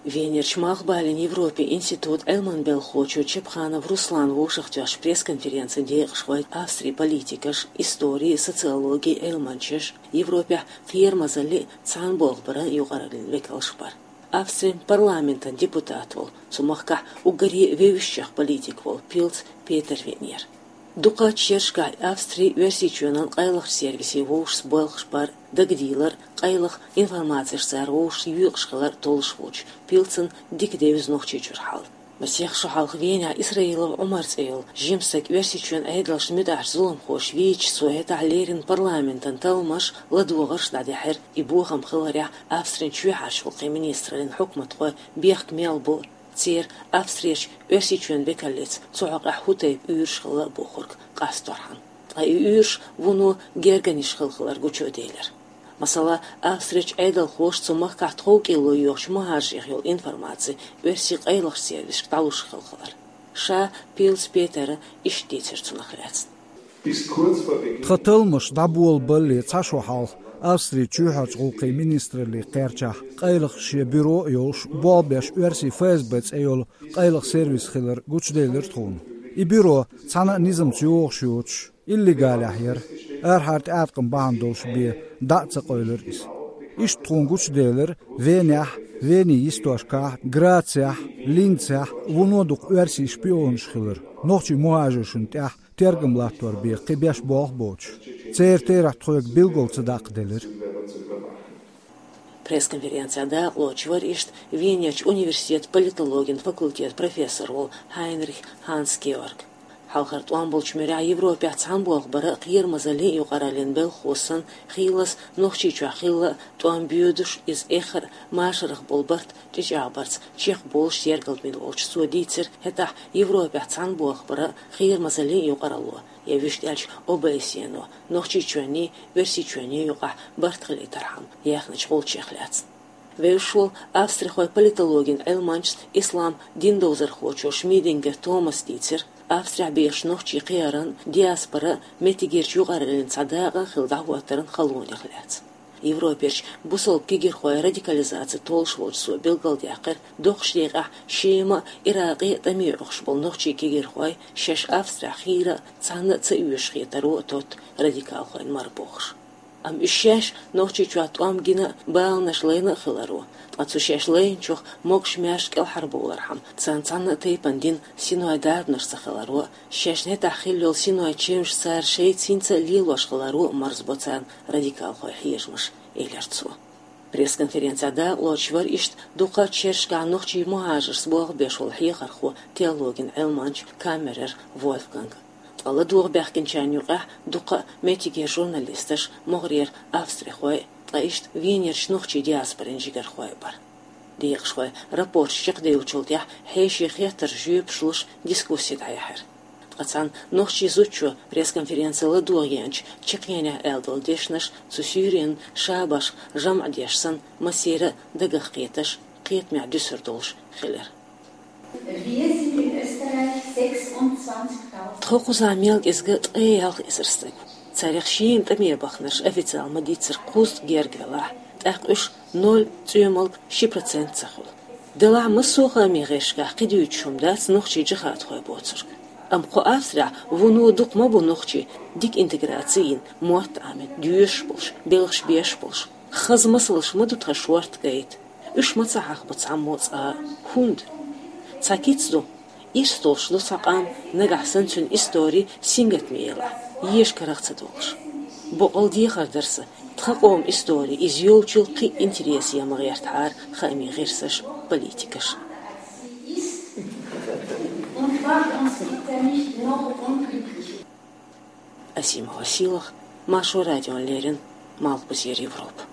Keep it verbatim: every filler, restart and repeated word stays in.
Венерчу Малхбален Европе институт Ӏилман белхахочо Чепханов Руслан вовшахтоьхначу пресс-конференцин декъашхой Австрин политикаш, истори, социологи Ӏилманчаш, Европехь кхерамазаллин, цхьаьнаболх баран юкъараллин векалш бара. Австрин парламентан депутат волу, цу махкахь уггаре вевзачех политик волу Пилц Петер веанера. Дукхачу шерашкахь Австрин Оьрсийчоьнан къайлахчу сервисийн вовшашца болх бара дагадийлар, къайлаха информацеш цара вовшашца йоькъуш хилар толлуш волчу Пилцна дика девза Нохчийчуьра хьал. Масех шо хьалха Венехь Исраилов Ӏумар цӀе йолу жима стаг Оьрсийчоьнан Ӏедалшна муьтӀахьчу зуламхоша вийча, цо хӀетахь леррина парламентан талламаш, ладогӀарш дӀадаьхьира, и бохам хиларехь Австрин чоьхьарчу гӀуллакхийн министраллин хьукматхой бехк мел бо, церан Австрерчу Оьрсийчоьнан векаллица цу хьокъехь хӀун тайпа уьйраш хилла а бохург къасторхьама. Ткъа и уьйраш вуно гергарниш хилла хилар гучуделира. Масала, Австрерчу Ӏедалхоша цу махкахь тхов кӀилло йоьхучу мухӀажарех йолу информаци оьрсийн къайлахчу сервисашка дӀалуш хилла хилар. Ша Пилц Петера иштта дийцира цунах лаьцна. Тхан талламаш дӀаболабалале цхьа шо хьалха Австрин чоьхьарчу гӀуллакхийн министралле кхерчахь, къайлаха шен бюро а йолуш, болх беш оьрсийн ФСБ цӀе йолу къайлаха сервис хилар гучуделира тхуна. И бюро цхьана а низамца йогӀуш йоцуш, иллегалехь яра, арахьара тӀеӀаткъам бахьана долуш бен дӀа а ца къевлира иза. Иштта тхуна гучуделира Венехь, Венин йистошкахь, Грацехь, Линцехь вуно дукха оьрсийн шпионаш хилар, нохчийн мухӀажаршна тӀехь тергам латтор бен кхин беш болх боцуш. Церан терахь тхоьга билггал ца даккхаделира. Пресс-конференцехь дакъалоцуш вара иштта Венерчу университетан политологин факультетан профессор волу Хайнрих Ханс Георг. Хьалхара тӀом болчу муьрехь Европехь цхьаьнаболх бара а, кхерамазаллин а юкъараллин белхахоша санна, хийлаза Нохчийчохь хилла а, тӀом боьдуш, иза эххар а машарах болу барт чӀичӀагӀбарца чекхболуш ергалбина волчу цо дийцира, хӀетахь Европехь цхьаьнаболх бара а, кхерамазаллин а юкъаралло, я вуьшта аьлча ОБСЕ-но, Нохчийчоьнний, Оьрсийчоьнний юкъахь барт хилийтархьама яьхначу гӀулчех лаьцна. Вевзаш волу австрихойн политологин Ӏилманчас, ислам дин довзархочо Шмидингер Томаса дийцира, Австрехь бехачу нохчийн кхиаран, диаспоран, меттигерчу юкъараллин цхьа дакъа а хилла дӀахӀоттаран халонех лаьцна. Европерчу бусалба кегийрхойн радикализаци толлуш волчу цо билгалдаьккхира, доккхачу декъехь Шема а, Иракъе а тӀаме оьхуш болу нохчийн кегийрхой шаьш Австрехь хийра а, цхьанна а ца оьшуш хетаро а тотту радикалхойн мара бохуш. Амма уьш шаьш Нохчийчохь тӀом гина а, баланаш лайна а хиларо, ткъа цу шаьш лайначух могуш-маьрша кӀелхьарбовлархьама, царна цхьанна а тайпана дина синой дарбанаш ца хиларо, шаьшна хӀетахь хилла йолу синой чевнаш цара шайца хӀинца а лелош хиларо а марзбо царна радикалхойн хьежамаш, элира цо. Пресс-конференцехь дакъалоцуш вара иштта дукхачу шерашкахь нохчийн мухӀажаршца болх беш волу хьехархо, теологин Ӏилманча Каммерер Вольфганг. Ткъа ладогӀа баьхкинчарна юкъахь дукха а меттигера журналисташ, могӀарера австрихой, ткъа иштта Венерчу нохчийн диаспорин жигархой а бара. Декъашхой рапорташ чекхдевллачул тӀаьхьа хьеший хеттарш жоьпаш луш дискусси дӀаяьхьира. Ткъа цхьана нохчийн зудчо пресс-конференци ладогӀа еанчу чекхъенехь аьлла долу дешнаш цу суьйренан шабашха жамӀ деш санна, массеран а дагах кхеташ, кхетамехь дуьсур долуш хилира. Wir sind in Österreich sechsundzwanzigtausend. Тхо кхузахь мел кӀезиг ткъе ялх эзар стаг ву. Царех шена тӀаме бахнарш официалан ма-дийццара кхузткъа герга велахь, тӀаккха уьш ноль цӀоьмалг ши процент ца хуьлу. Делахь массо а хаамийн гӀирсашкахь кхин дуьйцуш хӀума дац нохчий джихадхой боцург. Амма кху Австрехь вуно дукха ма бу нохчий дика интеграци йина, мотт Ӏамийна, доьшуш болуш, белхаш беш болуш. Хаза масалш ма ду тхан шортта гайта. Уьш ма ца хьахабо цхьаммо цкъа а. ХӀунда? Цхьа кица ду, ирс долуш ду цхьа къам, нагахь санна цуьнан истори сингаттаме елахь, еша карах ца долуш. Боккъал дехар дара сан, тхан къоман истори иза йолчул кхин а интересе ма гӀертахьара хаамийн гӀирсаш, политикаш. Асима Василах, Маршо радиона леррина, Малхбузера Европа.